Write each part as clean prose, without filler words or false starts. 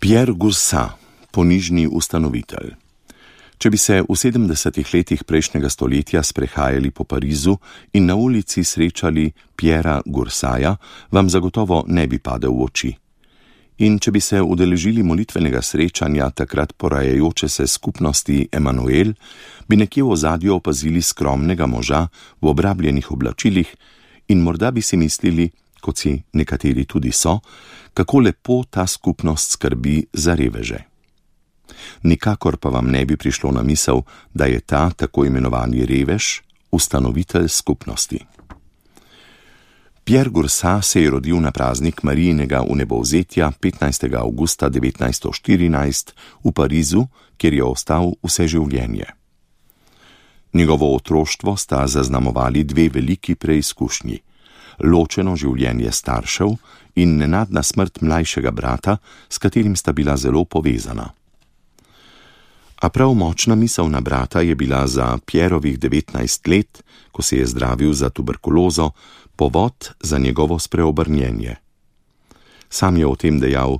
Pierre Goursat, ponižni ustanovitelj. Če bi se v 70. letih prejšnjega stoletja sprehajali po Parizu in na ulici srečali Pierra Goursata, vam zagotovo ne bi padel v oči. In če bi se udeležili molitvenega srečanja takrat porajajoče se skupnosti Emanuel, bi nekje v ozadju opazili skromnega moža v obrabljenih oblačilih in morda bi si mislili, kot si nekateri tudi so, kako lepo ta skupnost skrbi za reveže. Nikakor pa vam ne bi prišlo na misel, da je ta tako imenovani revež ustanovitelj skupnosti. Pierre Goursat se je rodil na praznik Marijinega vnebovzetja 15. avgusta 1914 v Parizu, kjer je ostal vse življenje. Njegovo otroštvo sta zaznamovali dve veliki preizkušnji: ločeno življenje staršev in nenadna smrt mlajšega brata, s katerim sta bila zelo povezana. A prav močna misel na brata je bila za Pierrovih 19 let, ko se je zdravil za tuberkulozo, povod za njegovo spreobrnjenje. Sam je o tem dejal: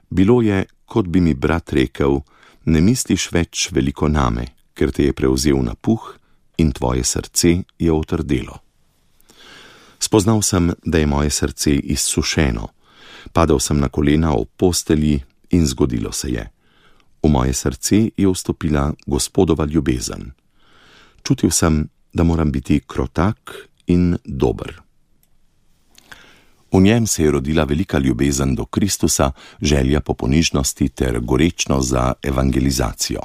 bilo je, kot bi mi brat rekel, ne misliš več veliko name, ker te je prevzel napuh in tvoje srce je otrdelo. Spoznal sem, da je moje srce izsušeno. Padal sem na kolena ob postelji in zgodilo se je. V moje srce je vstopila Gospodova ljubezen. Čutil sem, da moram biti krotak in dober. V njem se je rodila velika ljubezen do Kristusa, želja po ponižnosti ter gorečnost za evangelizacijo.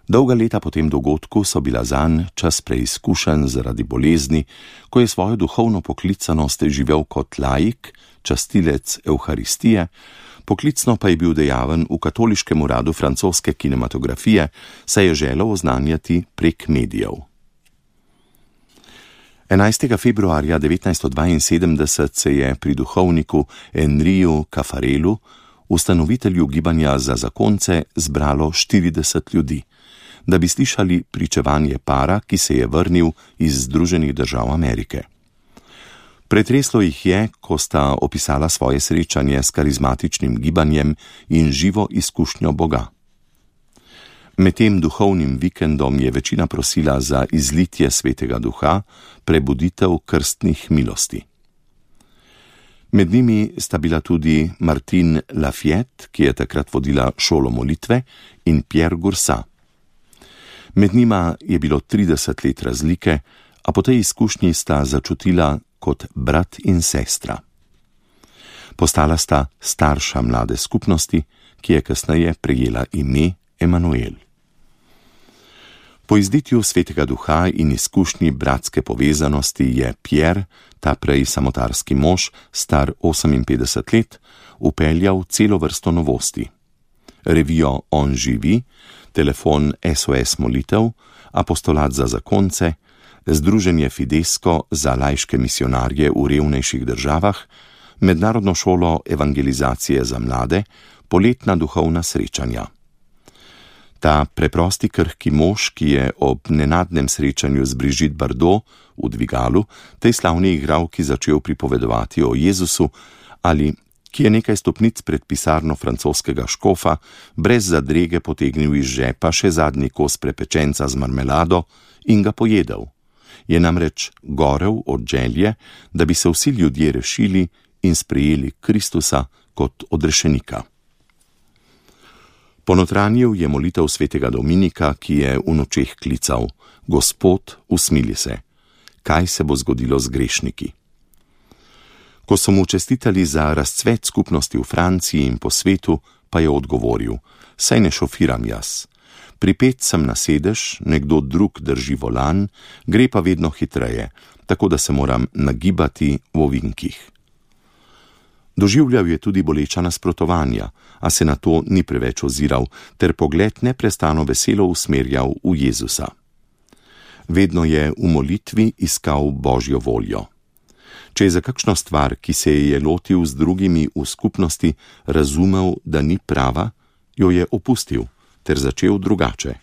Dolga leta po tem dogodku so bila zanj čas preizkušenj zaradi bolezni, ko je svojo duhovno poklicanost živel kot laik, častilec Evharistije, poklicno pa je bil dejaven v katoliškem uradu francoske kinematografije, saj je želel oznanjati prek medijev. 11. februarja 1972 se je pri duhovniku Henriju Caffarelu, ustanovitelju gibanja za zakonce, zbralo 40 ljudi, da bi slišali pričevanje para, ki se je vrnil iz Združenih držav Amerike. Pretreslo jih je, ko sta opisala svoje srečanje s karizmatičnim gibanjem in živo izkušnjo Boga. Med tem duhovnim vikendom je večina prosila za izlitje Svetega Duha, prebuditev krstnih milosti. Med njimi sta bila tudi Martine Lafayette, ki je takrat vodila šolo molitve, in Pierre Goursat. Med njima je bilo 30 let razlike, a po tej izkušnji sta začutila kot brat in sestra. Postala sta starša mlade skupnosti, ki je kasneje prejela ime Emanuel. Po izlitju Svetega Duha in izkušnji bratske povezanosti je Pierre, ta prej samotarski mož, star 58 let, vpeljal celo vrsto novosti. Revijo On živi, telefon SOS molitev, apostolat za zakonce, združenje Fidesko za laiške misionarje v revnejših državah, mednarodno šolo evangelizacije za mlade, poletna duhovna srečanja. Ta preprosti krhki mož, ki je ob nenadnem srečanju z Brigitte Bardot v dvigalu tej slavni igralki začel pripovedovati o Jezusu, ali ki je nekaj stopnic pred pisarno francoskega škofa brez zadrege potegnil iz žepa še zadnji kos prepečenca z marmelado in ga pojedel, je namreč gorel od želje, da bi se vsi ljudje rešili in sprejeli Kristusa kot odrešenika. Ponotranjil je molitev svetega Dominika, ki je v nočeh klical: Gospod, usmili se, kaj se bo zgodilo z grešniki? Ko so mu čestitali za razcvet skupnosti v Franciji in po svetu, pa je odgovoril: saj ne šofiram jaz. Pripet sem na sedež, nekdo drug drži volan, gre pa vedno hitreje, tako da se moram nagibati v ovinkih. Doživljal je tudi boleča nasprotovanja, a se na to ni preveč oziral, ter pogled neprestano veselo usmerjal v Jezusa. Vedno je v molitvi iskal Božjo voljo. Če je za kakšno stvar, ki se je lotil z drugimi v skupnosti, razumel, da ni prava, jo je opustil ter začel drugače.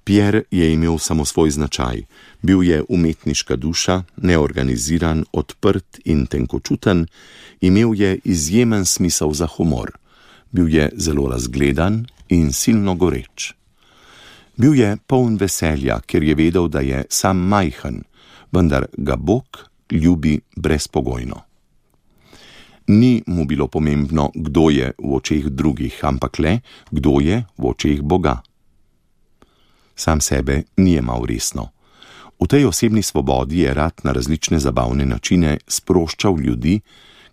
Pierre je imel samo svoj značaj, bil je umetniška duša, neorganiziran, odprt in tenkočuten, imel je izjemen smisel za humor, Bil je zelo razgledan in silno goreč. Bil je poln veselja, ker je vedel, da je sam majhen, vendar ga Bog ljubi brezpogojno. Ni mu bilo pomembno, kdo je v očeh drugih, ampak le, kdo je v očeh Boga. Sam sebe ni jemal resno. V tej osebni svobodi je rad na različne zabavne načine sproščal ljudi,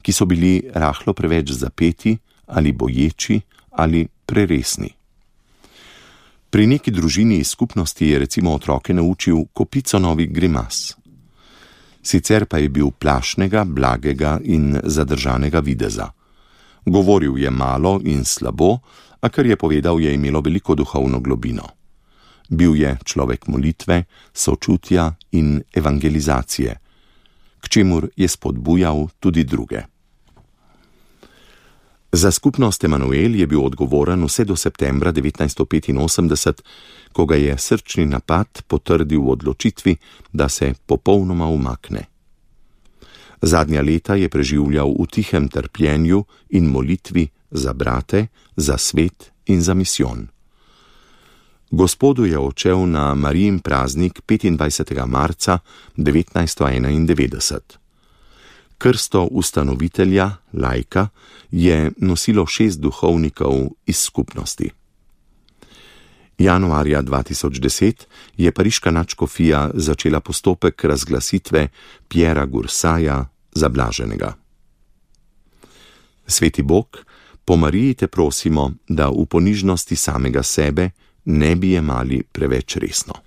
ki so bili rahlo preveč zapeti ali boječi ali preresni. Pri neki družini iz skupnosti je recimo otroke naučil kopico novih grimas. Sicer pa je bil plašnega, blagega in zadržanega videza. Govoril je malo in slabo, a kar je povedal, je imelo veliko duhovno globino. Bil je človek molitve, sočutja in evangelizacije, k čemur je spodbujal tudi druge. Za skupnost Emanuel je bil odgovoren vse do septembra 1985, ko ga je srčni napad potrdil v odločitvi, da se popolnoma umakne. Zadnja leta je preživljal v tihem trpljenju in molitvi za brate, za svet in za misijon. Gospodu je odšel na Marijin praznik 25. marca 1991. Krsto ustanovitelja, laika, je nosilo 6 duhovnikov iz skupnosti. Januarja 2010 je pariška nadškofija začela postopek razglasitve Pierra Gursaja za blaženega. Sveti Bog, po Mariji te prosimo, da v ponižnosti samega sebe ne bi jemali preveč resno.